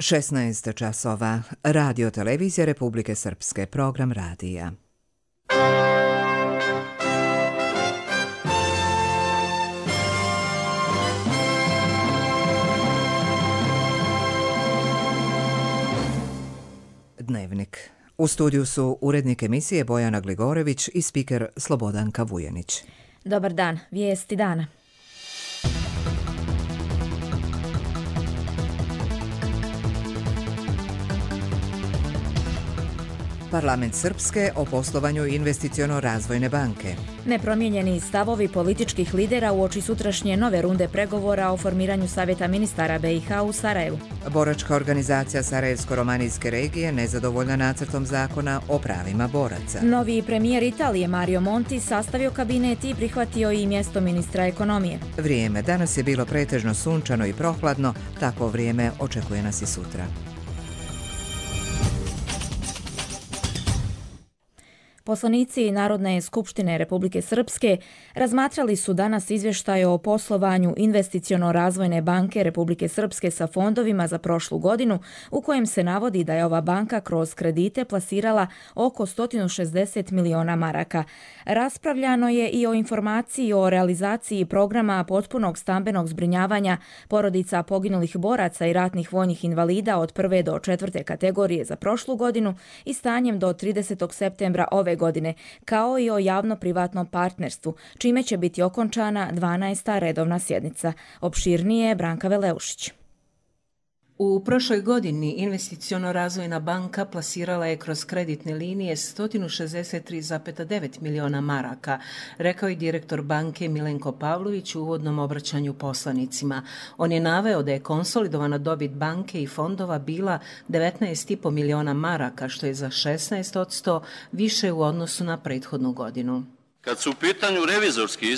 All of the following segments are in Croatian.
16 časova. Radio televizija Republike Srpske. Program radija. Dnevnik. U studiju su urednik emisije Bojana Gligorević i spiker Slobodanka Vujanić. Dobar dan, vijesti dana. Parlament Srpske o poslovanju Investiciono-razvojne banke. Nepromijenjeni stavovi političkih lidera uoči sutrašnje nove runde pregovora o formiranju Savjeta ministara BiH u Sarajevu. Boračka organizacija Sarajevsko-romanijske regije nezadovoljna nacrtom zakona o pravima boraca. Novi premijer Italije Mario Monti sastavio kabinet i prihvatio i mjesto ministra ekonomije. Vrijeme. Danas je bilo pretežno sunčano i prohladno, takvo vrijeme očekuje nas i sutra. Poslanici Narodne skupštine Republike Srpske razmatrali su danas izvještaj o poslovanju Investiciono-razvojne banke Republike Srpske sa fondovima za prošlu godinu, u kojem se navodi da je ova banka kroz kredite plasirala oko 160 miliona maraka. Raspravljano je i o informaciji o realizaciji programa potpunog stambenog zbrinjavanja porodica poginulih boraca i ratnih vojnih invalida od 1. do 4. kategorije za prošlu godinu i stanjem do 30. septembra ove godine, kao i o javno-privatnom partnerstvu, čime će biti okončana 12. redovna sjednica. Opširnije Branka Veleušić. U prošloj godini Investiciono-razvojna banka plasirala je kroz kreditne linije 163,9 miliona maraka, rekao je direktor banke Milenko Pavlović u uvodnom obraćanju poslanicima. On je naveo da je konsolidovana dobit banke i fondova bila 19,5 miliona maraka, što je za 16% više u odnosu na prethodnu godinu. Kad su u pitanju revizorski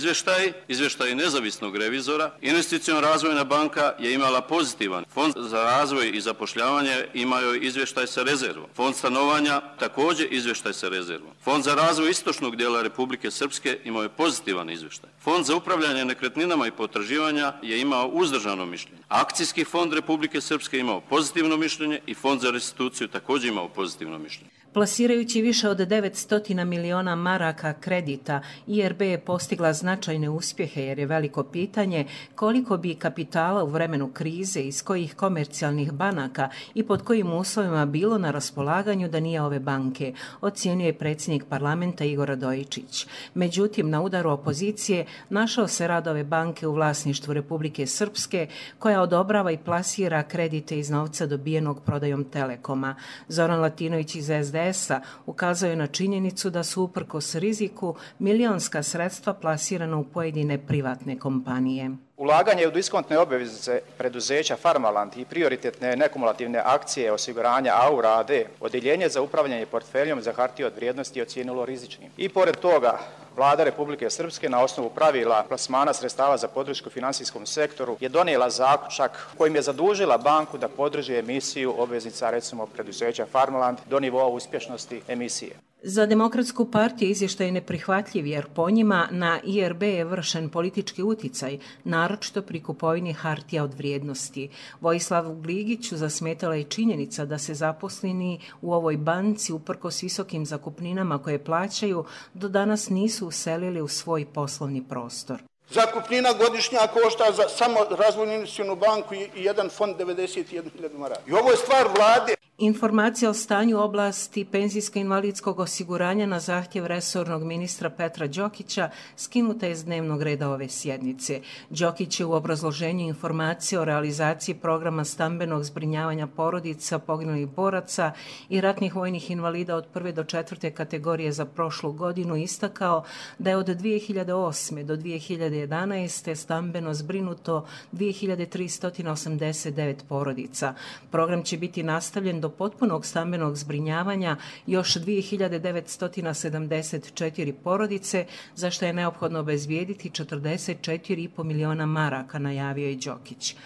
izvještaji nezavisnog revizora, Investiciono-razvojna banka je imala pozitivan. Fond za razvoj i zapošljavanje imao je izvještaj sa rezervom. Fond stanovanja također izvještaj sa rezervom. Fond za razvoj istočnog dijela Republike Srpske imao je pozitivan izvještaj. Fond za upravljanje nekretninama i potraživanja je imao uzdržano mišljenje. Akcijski fond Republike Srpske imao pozitivno mišljenje i Fond za restituciju također imao pozitivno mišljenje. Plasirajući više od 900 miliona maraka kredita, IRB je postigla značajne uspjehe jer je veliko pitanje koliko bi kapitala u vremenu krize iz kojih komercijalnih banaka i pod kojim uslovima bilo na raspolaganju da nije ove banke, ocijenio je predsjednik parlamenta Igor Radojičić. Međutim, na udaru opozicije našao se rad ove banke u vlasništvu Republike Srpske, koja odobrava i plasira kredite iz novca dobijenog prodajom Telekoma. Zoran Latinović iz SDS-a ukazao je na činjenicu da su uprkos riziku milionska sredstva plasirana u pojedine privatne kompanije. Ulaganje u diskontne obveznice preduzeća Farmaland i prioritetne nekumulativne akcije osiguranja AURA AD, odjeljenje za upravljanje portfeljom za hartije od vrijednosti ocijenilo rizičnim. I pored toga, Vlada Republike Srpske na osnovu pravila plasmana sredstava za podršku finansijskom sektoru je donijela zaključak kojim je zadužila banku da podrži emisiju obveznica, recimo preduzeća Farmaland, do nivoa uspješnosti emisije. Za Demokratsku partiju izvještaj je neprihvatljiv jer po njima na IRB je vršen politički uticaj, naročito pri kupovini hartija od vrijednosti. Vojislavu Gligiću zasmetala je činjenica da se zaposleni u ovoj banci uprkos visokim zakupninama koje plaćaju do danas nisu uselili u svoj poslovni prostor. Zakupnina godišnja košta za samo razvojnu investicionu banku i jedan fond 91.000 maraka. I ovo je stvar vlade. Informacija o stanju oblasti penzijsko-invalidskog osiguranja na zahtjev resornog ministra Petra Đokića skinuta je s dnevnog reda ove sjednice. Đokić je u obrazloženju informacije o realizaciji programa stambenog zbrinjavanja porodica poginulih boraca i ratnih vojnih invalida od 1. do 4. kategorije za prošlu godinu istakao da je od 2008. do 2011. stambeno zbrinuto 2389 porodica. Program će biti nastavljen do potpunog stambenog zbrinjavanja još 2974 porodice, za što je neophodno obezbijediti 44,5 miliona maraka, najavio je Đokić.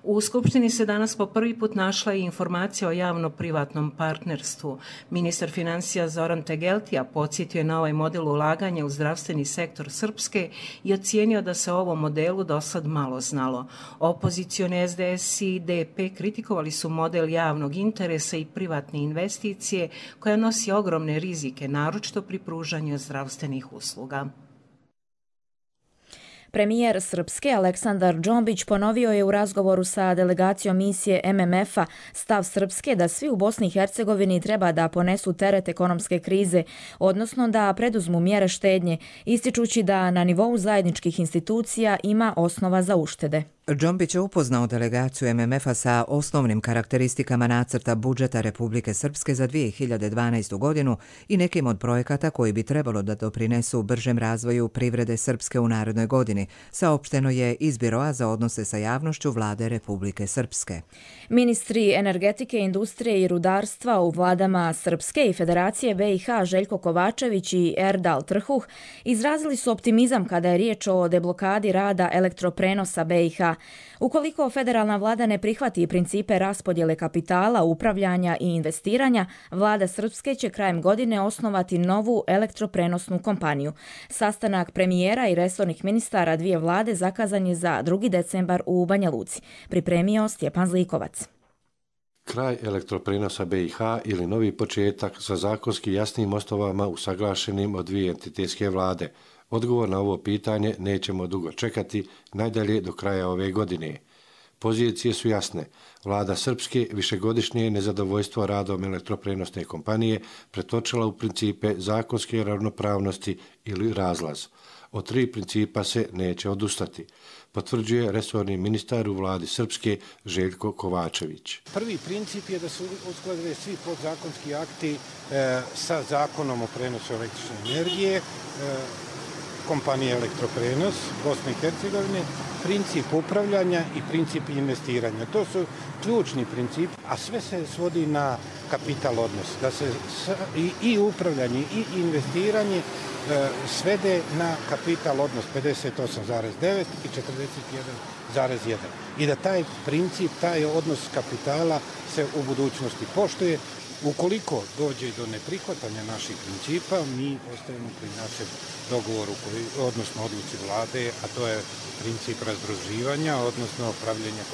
U Skupštini se danas po prvi put našla i informacija o javno-privatnom partnerstvu. Ministar financija Zoran Tegeltija podsjetio je na ovaj model ulaganja u zdravstveni sektor Srpske i ocijenio da se o ovom modelu dosad malo znalo. Opozicioni SDS i DP kritikovali su model javnog interesa i privatne investicije koja nosi ogromne rizike, naročito pri pružanju zdravstvenih usluga. Premijer Srpske Aleksandar Džombić ponovio je u razgovoru sa delegacijom misije MMF-a stav Srpske da svi u Bosni i Hercegovini treba da ponesu teret ekonomske krize, odnosno da preduzmu mjere štednje, ističući da na nivou zajedničkih institucija ima osnova za uštede. Džombić je upoznao delegaciju MMF-a sa osnovnim karakteristikama nacrta budžeta Republike Srpske za 2012. godinu i nekim od projekata koji bi trebalo da doprinesu bržem razvoju privrede Srpske u narednoj godini, saopšteno je iz Biroa za odnose sa javnošću Vlade Republike Srpske. Ministri energetike, industrije i rudarstva u vladama Srpske i Federacije BiH Željko Kovačević i Erdal Trhuh izrazili su optimizam kada je riječ o deblokadi rada elektroprenosa BiH. Ukoliko federalna vlada ne prihvati principe raspodjele kapitala, upravljanja i investiranja, vlada Srpske će krajem godine osnovati novu elektroprenosnu kompaniju. Sastanak premijera i resornih ministara dvije vlade zakazan je za 2. decembar u Banja Luci. Pripremio Stjepan Zlikovac. Kraj elektroprenosa BiH ili novi početak sa zakonski jasnim osnovama usaglašenim od dvije entitetske vlade. Odgovor na ovo pitanje nećemo dugo čekati, najdalje do kraja ove godine. Pozicije su jasne. Vlada Srpske višegodišnje nezadovoljstvo radom elektroprenosne kompanije pretočila u principe zakonske ravnopravnosti ili razlaz. Od 3 principa se neće odustati, potvrđuje resorni ministar u vladi Srpske Željko Kovačević. Prvi princip je da su uskladili svi podzakonski akti sa zakonom o prenosu električne energije, kompanije Elektroprenos Bosne i Hercegovine, princip upravljanja i princip investiranja. To su ključni princip, a sve se svodi na kapital odnos, da se i upravljanje i investiranje svede na kapital odnos 58,9 i 41,1. I da taj princip, taj odnos kapitala se u budućnosti poštuje. Ukoliko dođe do neprihvatanja naših principa, mi ostajemo pri našem dogovoru, odnosno odluci vlade, a to je princip razdruživanja, odnosno pravljenja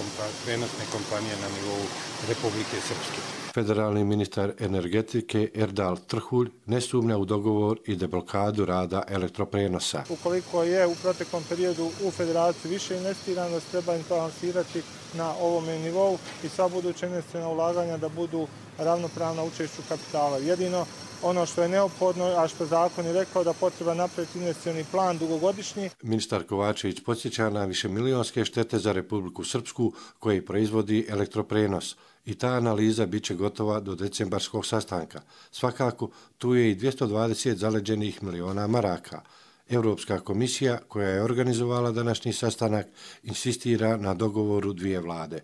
prenosne kompanije na nivou Republike Srpske. Federalni ministar energetike Erdal Trhulj ne sumnja u dogovor i deblokadu rada elektroprenosa. Ukoliko je u proteklom periodu u federaciji više investirano, treba im balansirati na ovome nivou i sva buduća investiciona ulaganja da budu ravnopravna učešću kapitala. Jedino ono što je neophodno, a što zakon je rekao da potreba napraviti investicioni plan dugogodišnji. Ministar Kovačević podsjeća na višemilionske štete za Republiku Srpsku koji proizvodi elektroprenos i ta analiza bit će gotova do decembarskog sastanka. Svakako, tu je i 220 zaleđenih miliona maraka. Europska komisija, koja je organizovala današnji sastanak, insistira na dogovoru dvije vlade.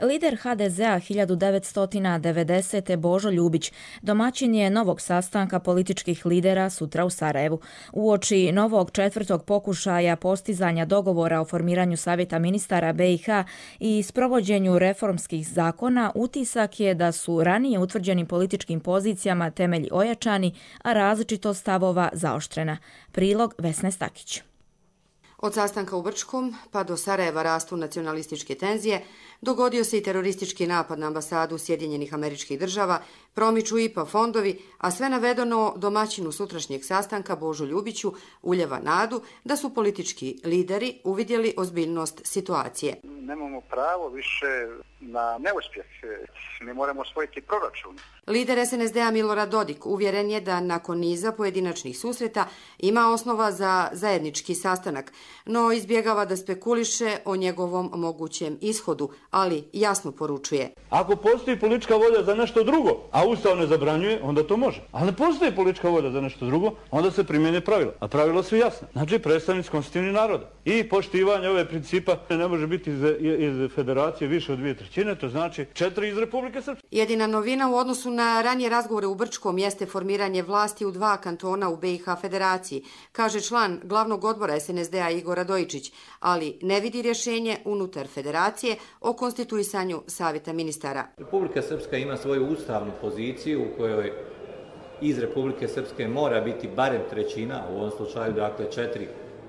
Lider HDZ-a 1990. Božo Ljubić domaćin je novog sastanka političkih lidera sutra u Sarajevu. Uoči novog 4. pokušaja postizanja dogovora o formiranju Savjeta ministara BiH i sprovođenju reformskih zakona, utisak je da su ranije utvrđenim političkim pozicijama temelji ojačani, a različitost stavova zaoštrena. Prilog Vesne Stakić. Od sastanka u Brčkom pa do Sarajeva rastu nacionalističke tenzije, dogodio se i teroristički napad na ambasadu Sjedinjenih Američkih Država, promiču IPA fondovi, a sve navedeno domaćinu sutrašnjeg sastanka Božu Ljubiću uljeva nadu da su politički lideri uvidjeli ozbiljnost situacije. Nemamo pravo više na neuspjeh. Mi moramo osvojiti proračun. Lider SNSD-a Milorad Dodik uvjeren je da nakon niza pojedinačnih susreta ima osnova za zajednički sastanak, no izbjegava da spekuliše o njegovom mogućem ishodu, ali jasno poručuje. Ako postoji politička volja za nešto drugo, a Ustav ne zabranjuje, onda to može. Ali ne postoji politička volja za nešto drugo, onda se primjene pravila. A pravila su jasna. Znači predstavnici konstitutivnih naroda. I poštivanje ove principa ne može biti iz federacije više od 2/3, to znači 4 iz Republike Srpske. Jedina novina u odnosu na ranije razgovore u Brčkom jeste formiranje vlasti u 2 kantona u BiH Federaciji, kaže član glavnog odbora SNSD-a Igor Radojičić, ali ne vidi rješenje unutar federacije o konstituisanju savjeta ministara. Republika Srpska ima svoju ustavnu poziciju u kojoj iz Republike Srpske mora biti barem 1/3, u ovom slučaju dakle 4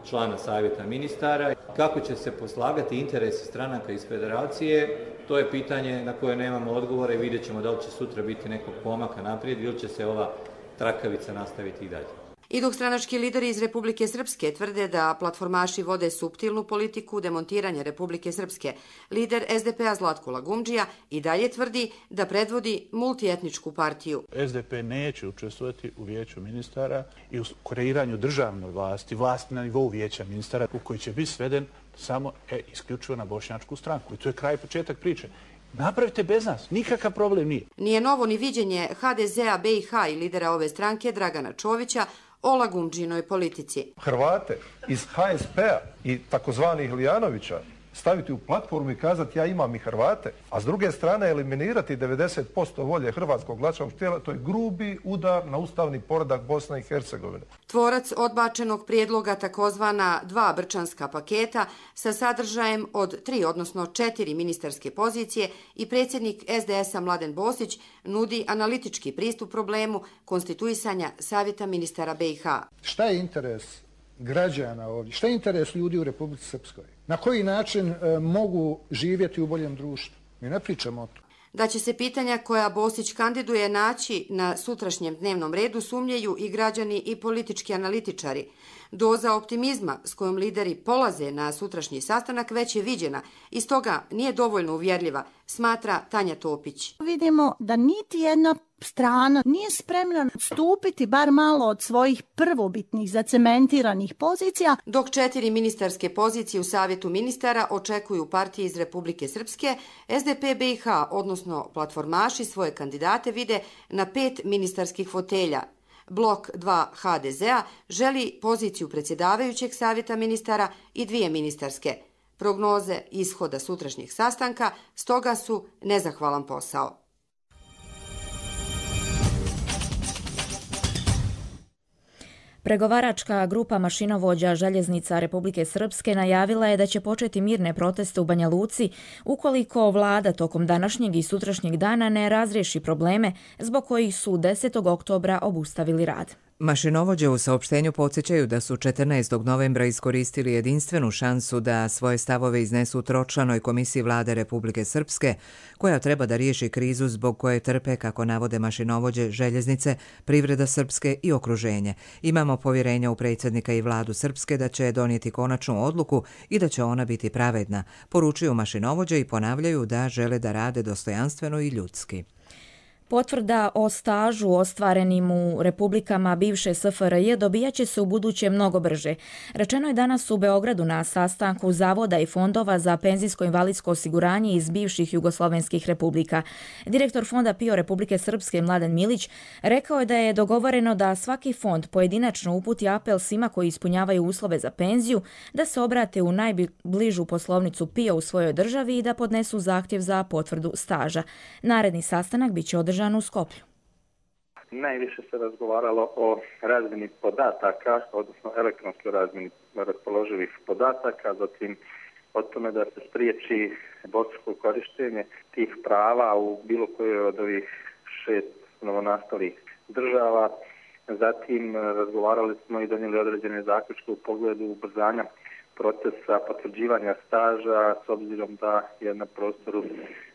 člana savjeta ministara. Kako će se poslagati interesi stranaka iz federacije, to je pitanje na koje nemamo odgovore i vidjet ćemo da li će sutra biti nekog pomaka naprijed ili će se ova trakavica nastaviti i dalje. I dok stranački lideri iz Republike Srpske tvrde da platformaši vode suptilnu politiku demontiranja Republike Srpske, lider SDP-a Zlatko Lagumdžija i dalje tvrdi da predvodi multietničku partiju. SDP neće učestvovati u vijeću ministara i u kreiranju državne vlasti na nivou vijeća ministara u koji će biti sveden samo isključivo na bošnjačku stranku. I to je kraj početak priče. Napravite bez nas, nikakav problem nije. Nije novo ni viđenje HDZ-a BiH i lidera ove stranke Dragana Čovića o Lagumdžinoj politici. Hrvate iz HSP-a i takozvanih Lijanovića staviti u platformu i kazati ja imam i Hrvate, a s druge strane eliminirati 90% volje hrvatskog glasačkog tijela, to je grubi udar na ustavni poredak Bosne i Hercegovine. Tvorac odbačenog prijedloga takozvana 2 brčanska paketa sa sadržajem od 3, odnosno 4 ministarske pozicije i predsjednik SDS-a Mladen Bosić nudi analitički pristup problemu konstituisanja savjeta ministara BiH. Šta je interes građana ovdje? Šta je interes ljudi u Republici Srpskoj? Na koji način mogu živjeti u boljem društvu? Mi ne pričamo o to. Da će se pitanja koja Bosić kandiduje naći na sutrašnjem dnevnom redu sumnjaju i građani i politički analitičari. Doza optimizma s kojom lideri polaze na sutrašnji sastanak već je viđena i stoga nije dovoljno uvjerljiva, smatra Tanja Topić. Vidimo da niti jedna strana nije spremna stupiti bar malo od svojih prvobitnih zacementiranih pozicija. Dok 4 ministarske pozicije u savjetu ministara očekuju partije iz Republike Srpske, SDP BiH, odnosno platformaši, svoje kandidate vide na 5 ministarskih fotelja. Blok 2 HDZ-a želi poziciju predsjedavajućeg savjeta ministara i 2 ministarske. Prognoze ishoda sutrašnjeg sastanka stoga su nezahvalan posao. Pregovaračka grupa mašinovođa željeznica Republike Srpske najavila je da će početi mirne proteste u Banja Luci ukoliko vlada tokom današnjeg i sutrašnjeg dana ne razriješi probleme zbog kojih su 10. oktobra obustavili rad. Mašinovođe u saopštenju podsjećaju da su 14. novembra iskoristili jedinstvenu šansu da svoje stavove iznesu tročlanoj komisiji vlade Republike Srpske, koja treba da riješi krizu zbog koje trpe, kako navode mašinovođe, željeznice, privreda Srpske i okruženje. Imamo povjerenja u predsjednika i vladu Srpske da će donijeti konačnu odluku i da će ona biti pravedna, poručuju mašinovođe i ponavljaju da žele da rade dostojanstveno i ljudski. Potvrda o stažu ostvarenim u republikama bivše SFRJ dobijat će se u buduće mnogo brže. Rečeno je danas u Beogradu na sastanku Zavoda i fondova za penzijsko-invalidsko osiguranje iz bivših jugoslovenskih republika. Direktor Fonda PIO Republike Srpske Mladen Milić rekao je da je dogovoreno da svaki fond pojedinačno uputi apel svima koji ispunjavaju uslove za penziju da se obrate u najbližu poslovnicu PIO u svojoj državi i da podnesu zahtjev za potvrdu staža. Naredni sastanak biće održan u Skoplju. Najviše se razgovaralo o razmjeni podataka, odnosno elektronskoj razmjeni raspoloživih podataka, zatim o tome da se spriječi dvostruko korištenje tih prava u bilo kojoj od ovih 6 novonastalih država. Zatim razgovarali smo i donijeli određene zaključke u pogledu ubrzanja procesa potvrđivanja staža, s obzirom da je na prostoru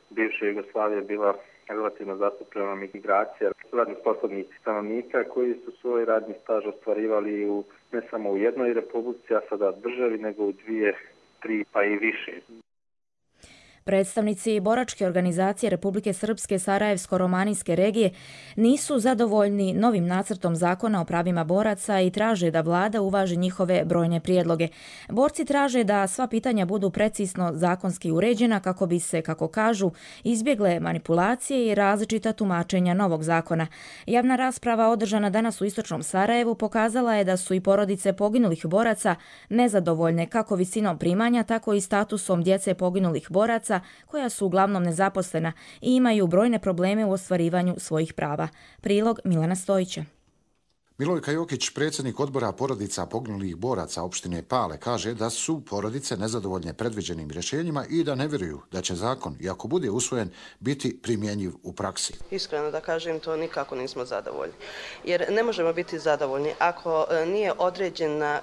bivše Jugoslavije bila relativno zastupljena migracija radnih sposobnih stanovnika koji su svoj radni staž ostvarivali ne samo u jednoj republici, a sada državi, nego u 2, 3 pa i više. Predstavnici boračke organizacije Republike Srpske Sarajevsko-Romanijske regije nisu zadovoljni novim nacrtom zakona o pravima boraca i traže da vlada uvaži njihove brojne prijedloge. Borci traže da sva pitanja budu precizno zakonski uređena kako bi se, kako kažu, izbjegle manipulacije i različita tumačenja novog zakona. Javna rasprava održana danas u istočnom Sarajevu pokazala je da su i porodice poginulih boraca nezadovoljne kako visinom primanja, tako i statusom djece poginulih boraca djece koja su uglavnom nezaposlena i imaju brojne probleme u ostvarivanju svojih prava. Prilog Milana Stojića. Milojka Jokić, predsjednik odbora porodica poginulih boraca opštine Pale, kaže da su porodice nezadovoljne predviđenim rješenjima i da ne vjeruju da će zakon, i ako bude usvojen, biti primjenjiv u praksi. Iskreno da kažem, to nikako nismo zadovoljni. Jer ne možemo biti zadovoljni ako nije određena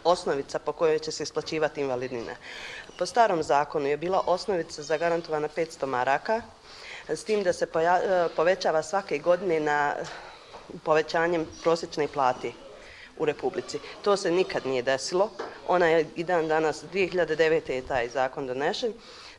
osnovica po kojoj će se isplaćivati invalidnina. Po starom zakonu je bila osnovica zagarantovana 500 maraka, s tim da se povećava svake godine na povećanjem prosječne plate u Republici. To se nikad nije desilo. Ona je i dan danas, 2009. je taj zakon donešen,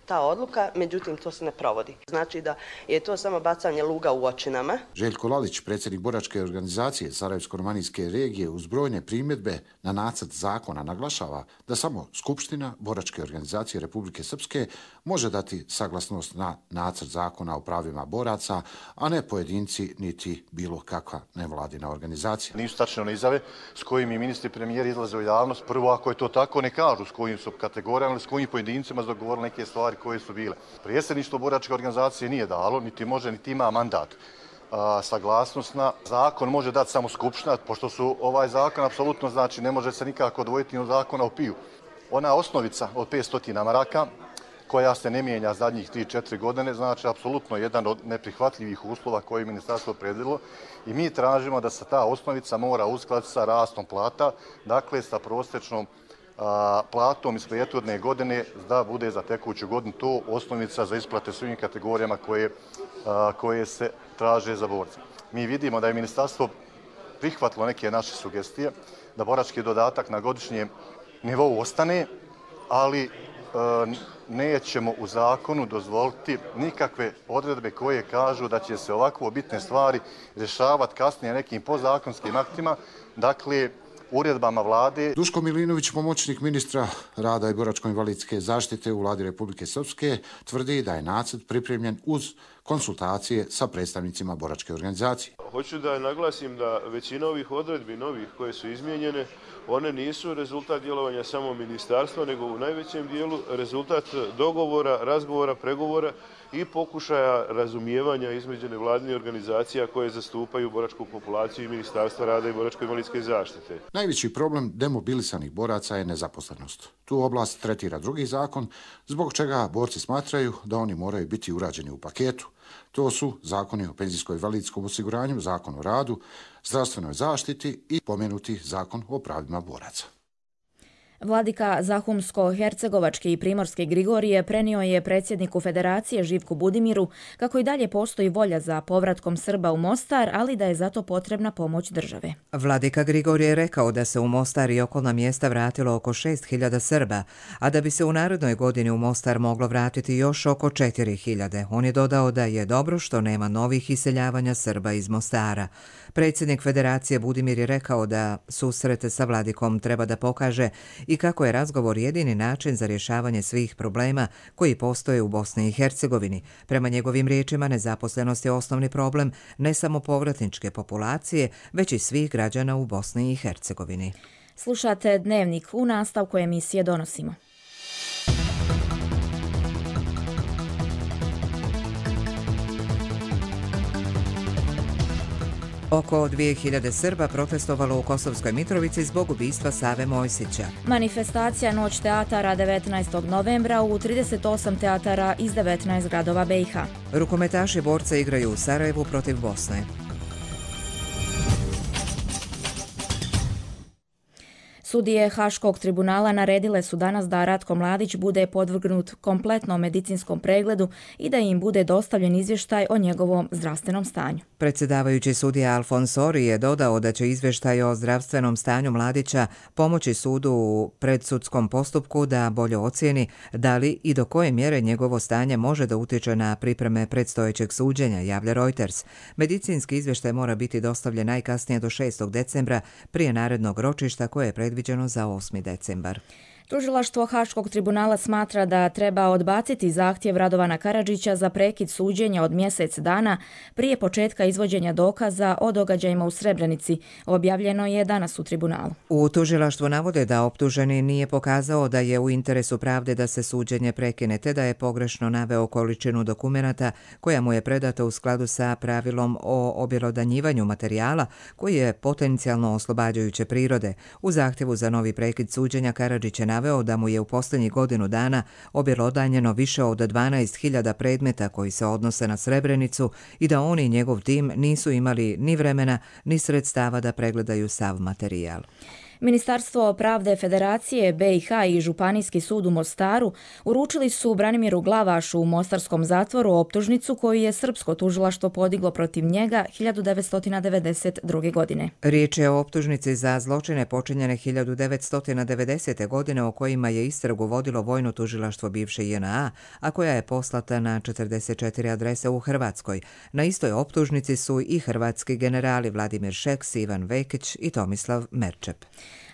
ta odluka, međutim to se ne provodi. Znači da je to samo bacanje luga u oči nama. Željko Lalić, predsjednik boračke organizacije Sarajevsko-romanijske regije, uz brojne primjedbe na nacrt zakona naglašava da samo Skupština boračke organizacije Republike Srpske može dati saglasnost na nacrt zakona o pravima boraca, a ne pojedinci niti bilo kakva nevladina organizacija. Nisu tačne one izjave s kojim i ministri i premijeri izlaze u javnost. Prvo, ako je to tako, ne kažu s kojim su kategorijama, s kojim pojedincima su dogovorili neke stvari koje su bile. Predsjedništvo boračke organizacije nije dalo, niti može, niti ima mandat. Saglasnost na zakon može dati samo Skupština, pošto su ovaj zakon apsolutno, znači ne može se nikako odvojiti od zakona o PIU. Ona osnovica od 500 maraka, koja se ne mijenja zadnjih 3-4 godine, znači apsolutno jedan od neprihvatljivih uslova koje je ministarstvo predvidjelo i mi tražimo da se ta osnovica mora uskladiti sa rastom plata, dakle sa prosječnom platom iz prethodne godine da bude za tekuću godinu to osnovica za isplate svim kategorijama koje se traže za borce. Mi vidimo da je ministarstvo prihvatilo neke naše sugestije, da borački dodatak na godišnjem nivou ostane, ali nećemo u zakonu dozvoliti nikakve odredbe koje kažu da će se ovako bitne stvari rješavati kasnije nekim podzakonskim aktima, dakle uredbama vlade. Duško Milinović, pomoćnik ministra rada i boračko-invalidske zaštite u vladi Republike Srpske, tvrdi da je nacrt pripremljen uz konsultacije sa predstavnicima boračke organizacije. Hoću da naglasim da većina ovih odredbi novih koje su izmijenjene, one nisu rezultat djelovanja samo ministarstva, nego u najvećem dijelu rezultat dogovora, razgovora, pregovora i pokušaja razumijevanja između nevladinih organizacija koje zastupaju boračku populaciju i Ministarstva rada i boračko-invalidske zaštite. Najveći problem demobilisanih boraca je nezaposlenost. Tu oblast tretira drugi zakon, zbog čega borci smatraju da oni moraju biti urađeni u paketu. To su zakoni o penzijsko-invalidskom osiguranju, zakon o radu, zdravstvenoj zaštiti i pomenuti zakon o pravima boraca. Vladika Zahumsko-Hercegovačke i Primorske Grigorije prenio je predsjedniku Federacije Živku Budimiru kako i dalje postoji volja za povratkom Srba u Mostar, ali da je zato potrebna pomoć države. Vladika Grigorije je rekao da se u Mostar i okolna mjesta vratilo oko 6.000 Srba, a da bi se u narednoj godini u Mostar moglo vratiti još oko 4.000. On je dodao da je dobro što nema novih iseljavanja Srba iz Mostara. Predsjednik Federacije Budimir je rekao da susrete sa Vladikom treba da pokaže i kako je razgovor jedini način za rješavanje svih problema koji postoje u Bosni i Hercegovini. Prema njegovim riječima, nezaposlenost je osnovni problem ne samo povratničke populacije, već i svih građana u Bosni i Hercegovini. Slušate Dnevnik, u nastavku emisije donosimo. Oko 2.000 Srba protestovalo u Kosovskoj Mitrovici zbog ubistva Save Mojsića. Manifestacija Noć teatara 19. novembra u 38 teatara iz 19 gradova BiH. Rukometaši borca igraju u Sarajevu protiv Bosne. Sudije Haškog tribunala naredile su danas da Ratko Mladić bude podvrgnut kompletnom medicinskom pregledu i da im bude dostavljen izvještaj o njegovom zdravstvenom stanju. Predsjedavajući sudija Alfonsori je dodao da će izvještaj o zdravstvenom stanju Mladića pomoći sudu u predsudskom postupku da bolje ocijeni da li i do koje mjere njegovo stanje može da utječe na pripreme predstojećeg suđenja, javlja Reuters. Medicinski izvještaj mora biti dostavljen najkasnije do 6. decembra prije narednog ročišta koje je predviđeno za 8. decembar. Tužilaštvo Haškog tribunala smatra da treba odbaciti zahtjev Radovana Karadžića za prekid suđenja od mjesec dana prije početka izvođenja dokaza o događajima u Srebrenici. Objavljeno je danas u tribunalu. U tužilaštvu navode da optuženi nije pokazao da je u interesu pravde da se suđenje prekine, te da je pogrešno naveo količinu dokumenata koja mu je predata u skladu sa pravilom o objelodanjivanju materijala koji je potencijalno oslobađajuće prirode. U zahtjevu za novi prekid suđenja Karadžić je naveo da mu je u posljednjih godinu dana objelodanjeno više od 12.000 predmeta koji se odnose na Srebrenicu i da on i njegov tim nisu imali ni vremena ni sredstava da pregledaju sav materijal. Ministarstvo pravde Federacije BiH i Županijski sud u Mostaru uručili su Branimiru Glavašu u mostarskom zatvoru optužnicu koju je srpsko tužilaštvo podiglo protiv njega 1992. godine. Riječ je o optužnici za zločine počinjene 1990. godine o kojima je istragu vodilo vojno tužilaštvo bivše JNA, a koja je poslata na 44 adrese u Hrvatskoj. Na istoj optužnici su i hrvatski generali Vladimir Šeks, Ivan Vekić i Tomislav Merčep.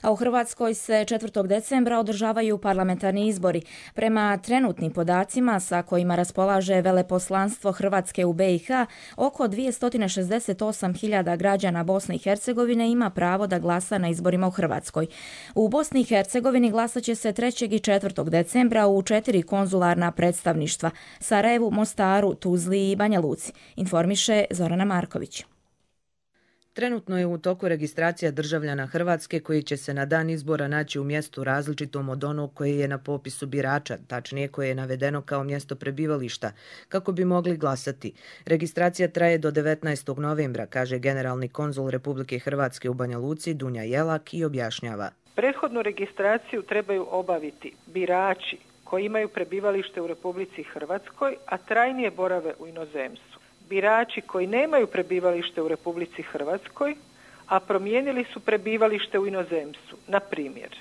A u Hrvatskoj se 4. decembra održavaju parlamentarni izbori. Prema trenutnim podacima sa kojima raspolaže veleposlanstvo Hrvatske u BiH, oko 268.000 građana Bosne i Hercegovine ima pravo da glasa na izborima u Hrvatskoj. U Bosni i Hercegovini glasat će se 3. i 4. decembra u 4 konzularna predstavništva: Sarajevu, Mostaru, Tuzli i Banja Luci, informiše Zorana Marković. Trenutno je u toku registracija državljana Hrvatske koji će se na dan izbora naći u mjestu različitom od onog koje je na popisu birača, tačnije koje je navedeno kao mjesto prebivališta, kako bi mogli glasati. Registracija traje do 19. novembra, kaže generalni konzul Republike Hrvatske u Banja Luci Dunja Jelak i objašnjava. Prethodnu registraciju trebaju obaviti birači koji imaju prebivalište u Republici Hrvatskoj, a trajnije borave u inozemstvu. Birači koji nemaju prebivalište u Republici Hrvatskoj, a promijenili su prebivalište u inozemstvu, na primjer,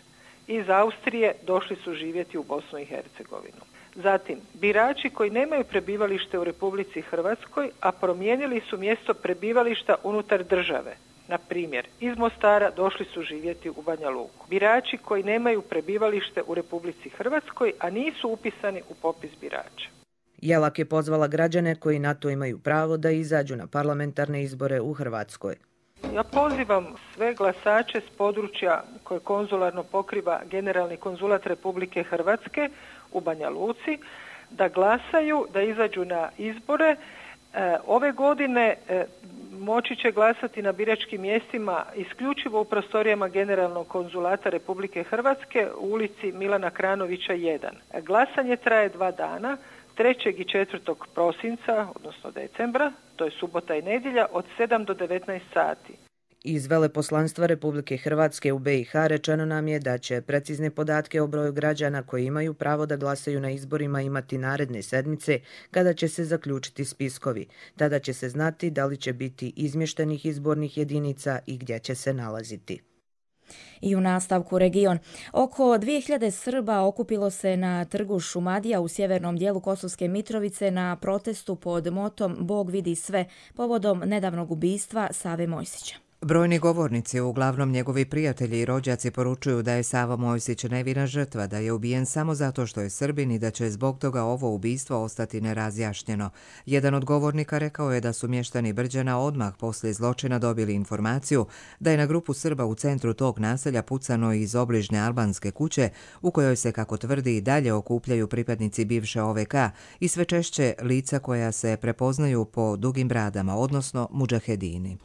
iz Austrije došli su živjeti u Bosnu i Hercegovinu. Zatim, birači koji nemaju prebivalište u Republici Hrvatskoj, a promijenili su mjesto prebivališta unutar države, na primjer, iz Mostara došli su živjeti u Banja Luku. Birači koji nemaju prebivalište u Republici Hrvatskoj, a nisu upisani u popis birača. Jelak je pozvala građane koji na to imaju pravo da izađu na parlamentarne izbore u Hrvatskoj. Ja pozivam sve glasače s područja koje konzularno pokriva Generalni konzulat Republike Hrvatske u Banja Luci da glasaju, da izađu na izbore. Ove godine moći će glasati na biračkim mjestima isključivo u prostorijama Generalnog konzulata Republike Hrvatske u ulici Milana Kranovića 1. Glasanje traje 2 dana. 3. i 4. prosinca, odnosno decembra, to je subota i nedjelja, od 7 do 19 sati. Iz veleposlanstva Republike Hrvatske u BiH rečeno nam je da će precizne podatke o broju građana koji imaju pravo da glasaju na izborima imati naredne sedmice kada će se zaključiti spiskovi. Tada će se znati da li će biti izmještenih izbornih jedinica i gdje će se nalaziti. I u nastavku region. Oko 2000 Srba okupilo se na trgu Šumadija u sjevernom dijelu Kosovske Mitrovice na protestu pod motom Bog vidi sve povodom nedavnog ubistva Save Mojsića. Brojni govornici, uglavnom njegovi prijatelji i rođaci, poručuju da je Sava Mojsić nevina žrtva, da je ubijen samo zato što je Srbin i da će zbog toga ovo ubistvo ostati nerazjašnjeno. Jedan od govornika rekao je da su mještani Brđana odmah poslije zločina dobili informaciju da je na grupu Srba u centru tog naselja pucano iz obližnje albanske kuće u kojoj se, kako tvrdi, i dalje okupljaju pripadnici bivše OVK i sve češće lica koja se prepoznaju po dugim bradama, odnosno mudžahedini.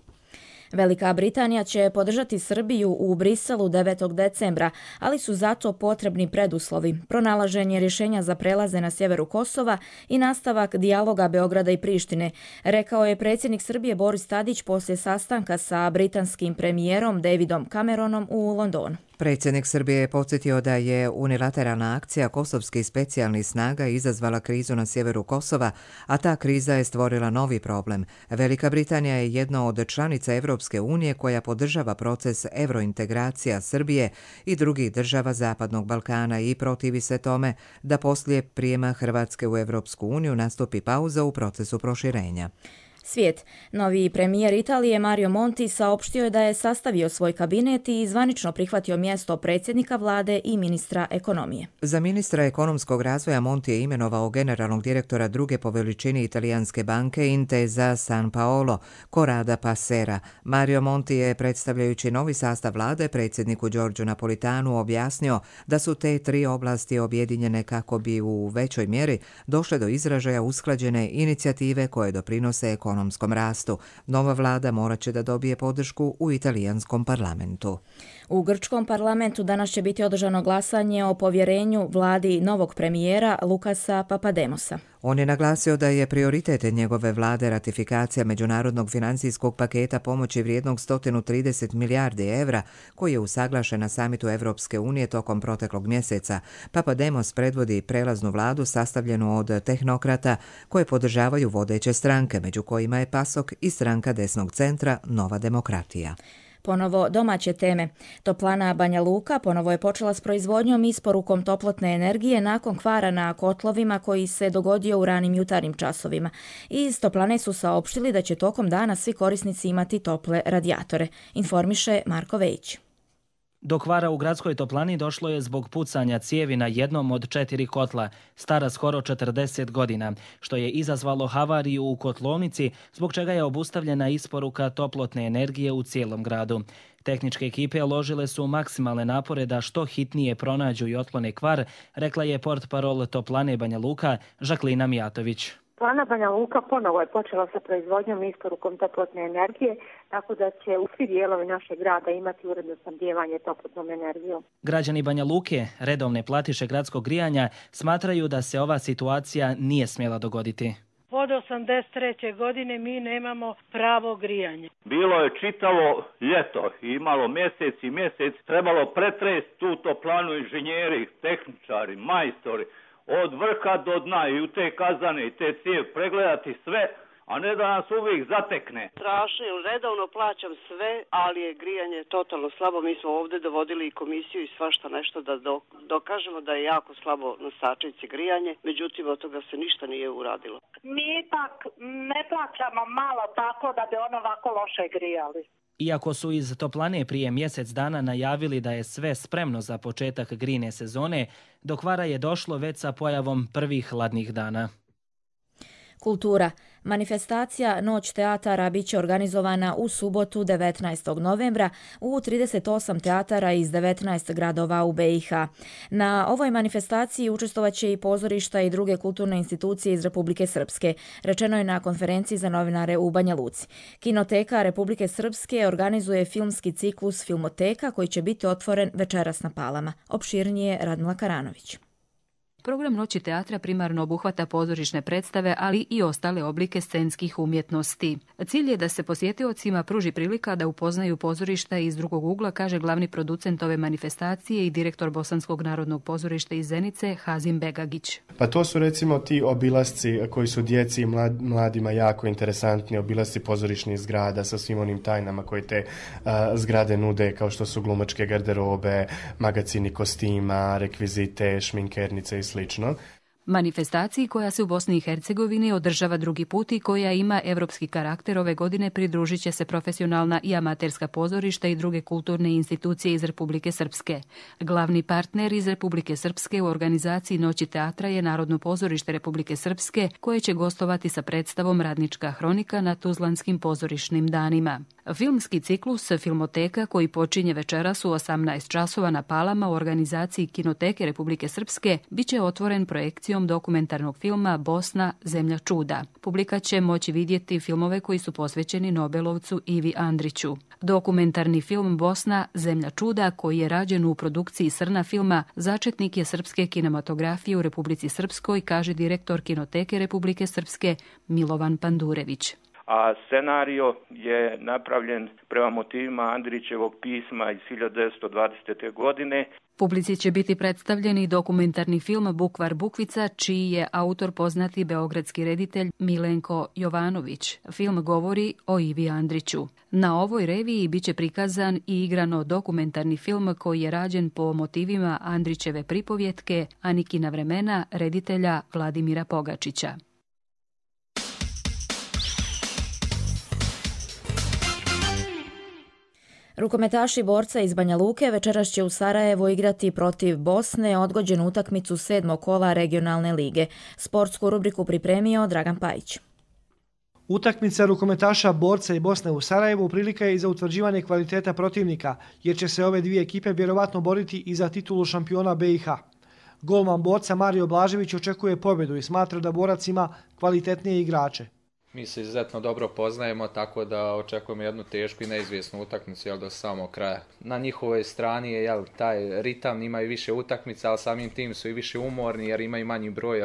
Velika Britanija će podržati Srbiju u Briselu 9. decembra, ali su zato potrebni preduslovi: pronalaženje rješenja za prelaze na sjeveru Kosova i nastavak dijaloga Beograda i Prištine, rekao je predsjednik Srbije Boris Tadić poslije sastanka sa britanskim premijerom Davidom Cameronom u Londonu. Predsjednik Srbije je podsjetio da je unilateralna akcija kosovskih specijalnih snaga izazvala krizu na sjeveru Kosova, a ta kriza je stvorila novi problem. Velika Britanija je jedna od članica Evropske unije koja podržava proces evrointegracija Srbije i drugih država Zapadnog Balkana i protivi se tome da poslije prijema Hrvatske u Evropsku uniju nastupi pauza u procesu proširenja. Svijet. Novi premijer Italije Mario Monti saopštio je da je sastavio svoj kabinet i zvanično prihvatio mjesto predsjednika vlade i ministra ekonomije. Za ministra ekonomskog razvoja Monti je imenovao generalnog direktora druge po veličini italijanske banke Intesa San Paolo, Corrado Passera. Mario Monti je, predstavljajući novi sastav vlade, predsjedniku Giorgio Napolitanu objasnio da su te tri oblasti objedinjene kako bi u većoj mjeri došle do izražaja usklađene inicijative koje doprinose ekonomskom rastu. Nova vlada morat će da dobije podršku u italijanskom parlamentu. U grčkom parlamentu danas će biti održano glasanje o povjerenju vladi novog premijera Lukasa Papademosa. On je naglasio da je prioritet njegove vlade ratifikacija međunarodnog financijskog paketa pomoći vrijednog 130 milijardi evra, koji je usaglašen na samitu Evropske unije tokom proteklog mjeseca. Papademos predvodi prelaznu vladu sastavljenu od tehnokrata koje podržavaju vodeće stranke, među kojima je PASOK i stranka desnog centra Nova demokratija. Ponovo domaće teme. Toplana Banja Luka ponovo je počela s proizvodnjom i isporukom toplotne energije nakon kvara na kotlovima koji se dogodio u ranim jutarnjim časovima. Iz toplane su saopštili da će tokom dana svi korisnici imati tople radijatore, informiše Marko Vejić. Do kvara u gradskoj toplani došlo je zbog pucanja cijevi na jednom od 4 kotla, stara skoro 40 godina, što je izazvalo havariju u kotlovnici, zbog čega je obustavljena isporuka toplotne energije u cijelom gradu. Tehničke ekipe uložile su maksimalne napore da što hitnije pronađu i otklone kvar, rekla je portparol Toplane Banja Luka Žaklina Mijatović. Toplana Banja Luka ponovo je počela sa proizvodnjom i isporukom toplotne energije, tako da će u svi dijelovi našeg grada imati uredno snabdijevanje toplotnom energijom. Građani Banja Luke, redovne platiše gradskog grijanja, smatraju da se ova situacija nije smjela dogoditi. Od 83. godine mi nemamo pravo grijanje. Bilo je čitavo ljeto, imalo mjesec i mjesec, trebalo pretresti tu toplanu inženjeri, tehničari, majstori, od vrha do dna i u te kazane i te cijev pregledati sve, a ne da nas uvijek zatekne. Strašno, redovno plaćam sve, ali je grijanje totalno slabo. Mi smo ovdje dovodili i komisiju i svašta nešto da dokažemo da je jako slabo na Sačinci grijanje, međutim od toga se ništa nije uradilo. Mi ipak ne plaćamo malo tako da bi ono ovako loše grijali. Iako su iz Toplane prije mjesec dana najavili da je sve spremno za početak grijne sezone, do kvara je došlo već sa pojavom prvih hladnih dana. Kultura. Manifestacija Noć teatara bit će organizovana u subotu 19. novembra u 38 teatara iz 19 gradova u BiH. Na ovoj manifestaciji učestvovat će i pozorišta i druge kulturne institucije iz Republike Srpske, rečeno je na konferenciji za novinare u Banja Luci. Kinoteka Republike Srpske organizuje filmski ciklus Filmoteka koji će biti otvoren večeras na Palama. Opširnije Radmila Karanović. Program Noći teatra primarno obuhvata pozorišne predstave, ali i ostale oblike scenskih umjetnosti. Cilj je da se posjetiocima pruži prilika da upoznaju pozorišta iz drugog ugla, kaže glavni producent ove manifestacije i direktor Bosanskog narodnog pozorišta iz Zenice, Hazim Begagić. Pa to su recimo ti obilasci koji su djeci i mladima jako interesantni, obilasci pozorišnih zgrada sa svim onim tajnama koje te zgrade nude, kao što su glumačke garderobe, magacini kostima, rekvizite, šminkernice i slično. Manifestaciji koja se u Bosni i Hercegovini održava drugi put i koja ima evropski karakter ove godine pridružit će se profesionalna i amaterska pozorišta i druge kulturne institucije iz Republike Srpske. Glavni partner iz Republike Srpske u organizaciji Noći teatra je Narodno pozorište Republike Srpske, koje će gostovati sa predstavom Radnička hronika na Tuzlanskim pozorišnim danima. Filmski ciklus Filmoteka, koji počinje večeras u 18 časova na Palama u organizaciji Kinoteke Republike Srpske, bit će otvoren projekcijom dokumentarnog filma Bosna, zemlja čuda. Publika će moći vidjeti filmove koji su posvećeni Nobelovcu Ivi Andriću. Dokumentarni film Bosna, zemlja čuda, koji je rađen u produkciji Srna filma, začetnik je srpske kinematografije u Republici Srpskoj, kaže direktor Kinoteke Republike Srpske Milovan Pandurević. A scenario je napravljen prema motivima Andrićevog pisma iz 1920. godine. Publici će biti predstavljen i dokumentarni film Bukvar Bukvica, čiji je autor poznati beogradski reditelj Milenko Jovanović. Film govori o Ivi Andriću. Na ovoj reviji bit će prikazan i igrano dokumentarni film koji je rađen po motivima Andrićeve pripovjetke Anikina vremena reditelja Vladimira Pogačića. Rukometaši borca iz Banja Luke večeras će u Sarajevu igrati protiv Bosne odgođenu utakmicu 7. kola regionalne lige. Sportsku rubriku pripremio Dragan Pajić. Utakmica rukometaša borca i Bosne u Sarajevu prilika je i za utvrđivanje kvaliteta protivnika, jer će se ove dvije ekipe vjerovatno boriti i za titulu šampiona BiH. Golman borca Mario Blažević očekuje pobjedu i smatra da borac ima kvalitetnije igrače. Mi se izuzetno dobro poznajemo, tako da očekujemo jednu tešku i neizvjesnu utakmicu do samog kraja. Na njihovoj strani je taj ritam, imaju više utakmica, ali samim tim su i više umorni jer imaju manji broj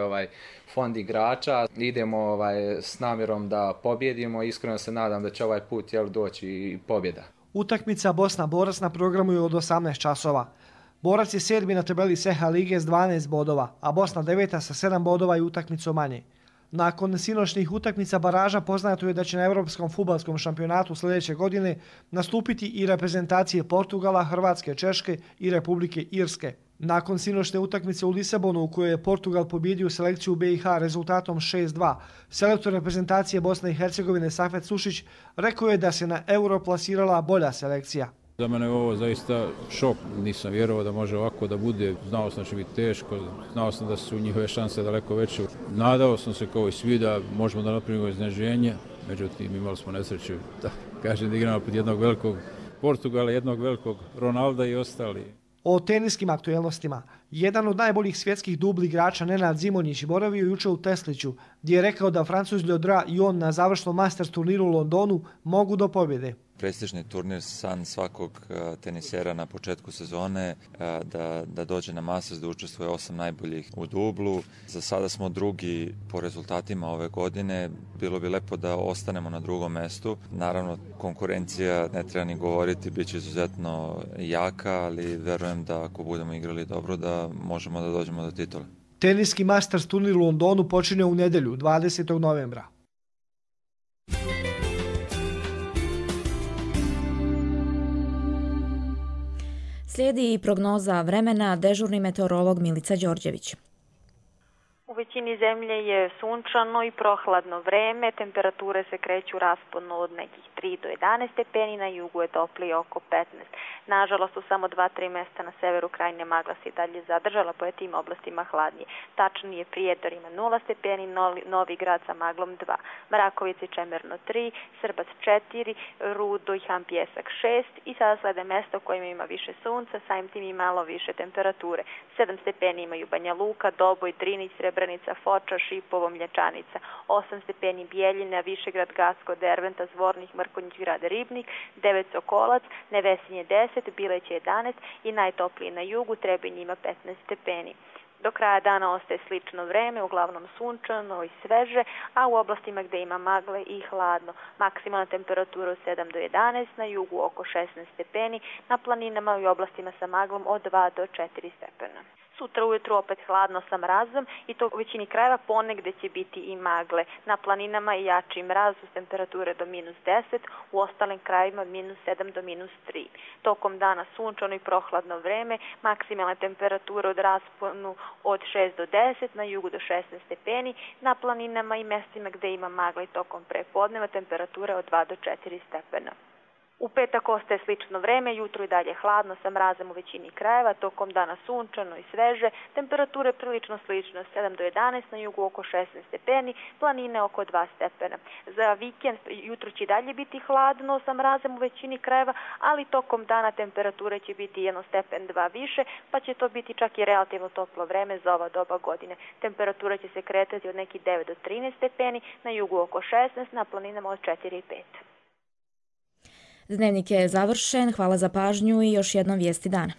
fond igrača. Idemo s namjerom da pobjedimo i iskreno se nadam da će ovaj put doći i pobjeda. Utakmica Bosna-Borac na programu je od 18 časova. Borac je 7. na tabeli SEH lige s 12 bodova, a Bosna 9. sa 7 bodova i utakmicom manje. Nakon sinoćnih utakmica baraža poznato je da će na Europskom fudbalskom šampionatu sljedeće godine nastupiti i reprezentacije Portugala, Hrvatske, Češke i Republike Irske. Nakon sinoćne utakmice u Lisabonu u kojoj je Portugal pobjedio selekciju BiH rezultatom 6-2, selektor reprezentacije Bosne i Hercegovine Safet Sušić rekao je da se na Euro plasirala bolja selekcija. Za mene je ovo zaista šok, nisam vjerovao da može ovako da bude, znao sam da će biti teško, znao sam da su njihove šanse daleko veće. Nadao sam se kao i svi da možemo da napravimo iznenađenje, međutim imali smo nesreću, da kažem, da igramo pred jednog velikog Portugala, jednog velikog Ronalda i ostali. O teniskim aktuelnostima. Jedan od najboljih svjetskih dubli igrača Nenad Zimonjić boravio jučer u Tesliću, gdje je rekao da Francuz Leodra i on na završnom Masters turniru u Londonu mogu do pobjede. Prestižni turnir, san svakog tenisera na početku sezone, da dođe na Masters, da učestvuje 8 najboljih u dublu. Za sada smo drugi po rezultatima ove godine. Bilo bi lepo da ostanemo na drugom mestu. Naravno, konkurencija, ne treba ni govoriti, bit će izuzetno jaka, ali verujem da ako budemo igrali dobro, da možemo da dođemo do titula. Teniski Masters turnir u Londonu počinje u nedjelju, 20. novembra. Slijedi i prognoza vremena, dežurni meteorolog Milica Đorđević. U većini zemlje je sunčano i prohladno vreme, temperature se kreću rasponu od nekih 3 do 11 stepeni, na jugu je toplije oko 15. Nažalost, u samo 2-3 mjesta na severu krajine magla se i dalje zadržala, po tim oblastima hladnije. Tačnije Prijedor ima 0 stepeni, Novi Grad sa maglom 2, Mrakovica i Čemerno 3, Srbac 4, Rudo i Han Pjesak 6 i sada slede mjesta u kojima ima više sunca, samim tim i malo više temperature. 7 stepeni imaju Banja Luka, Doboj, Drinić, Srebrenica, Foča, Šipovo, Mlječanica, 8 stepeni Bijeljina, Višegrad, Gacko, Derventa, Zvornik, Mrkonjić, Grad Ribnik, 9 Sokolac, Nevesinje 10, Bileć 11 i najtopliji na jugu, Trebinj ima 15 stepeni. Do kraja dana ostaje slično vreme, uglavnom sunčano i sveže, a u oblastima gdje ima magle i hladno. Maksimalna temperatura od 7 do 11, na jugu oko 16 stepeni, na planinama i oblastima sa maglom od 2 do 4 stepena. Sutra ujutru opet hladno sa mrazom i to u većini krajeva, ponegdje će biti i magle. Na planinama i jači mraz uz temperature do -10, u ostalim krajevima od -7 do -3. Tokom dana sunčano i prohladno vreme, maksimalne temperature od rasponu od 6 do 10, na jugu do 16 stepeni, na planinama i mjestima gdje ima magle i tokom prepodneva temperature od 2 do 4 stepena. U petak ostaje slično vreme, jutro i dalje hladno sa mrazem u većini krajeva, tokom dana sunčano i sveže, temperature prilično slično 7 do 11, na jugu oko 16 stepeni, planine oko 2 stepena. Za vikend jutro će dalje biti hladno sa mrazem u većini krajeva, ali tokom dana temperature će biti 1 stepen 2 više, pa će to biti čak i relativno toplo vreme za ova doba godine. Temperatura će se kretati od nekih 9 do 13 stepeni, na jugu oko 16, na planinama od 4 i 5. Dnevnik je završen, hvala za pažnju i još jednom vijesti dana.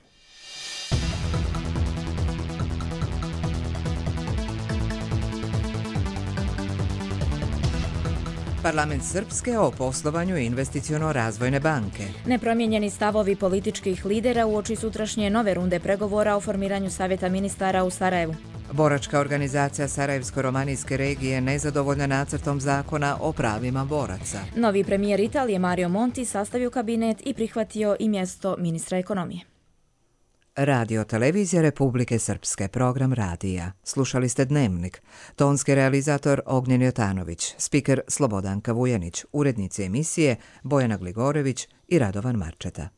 Parlament Srpske o poslovanju investiciono-razvojne banke. Nepromijenjeni stavovi političkih lidera uoči sutrašnje nove runde pregovora o formiranju Savjeta ministara u Sarajevu. Boračka organizacija Sarajevsko-romanijske regije nezadovoljna nacrtom zakona o pravima boraca. Novi premijer Italije Mario Monti sastavio kabinet i prihvatio i mjesto ministra ekonomije. Radio Televizija Republike Srpske, program radija. Slušali ste Dnevnik. Tonski realizator Ognjen Jotanović, spiker Slobodanka Vujanić, urednici emisije Bojana Gligorević i Radovan Marčeta.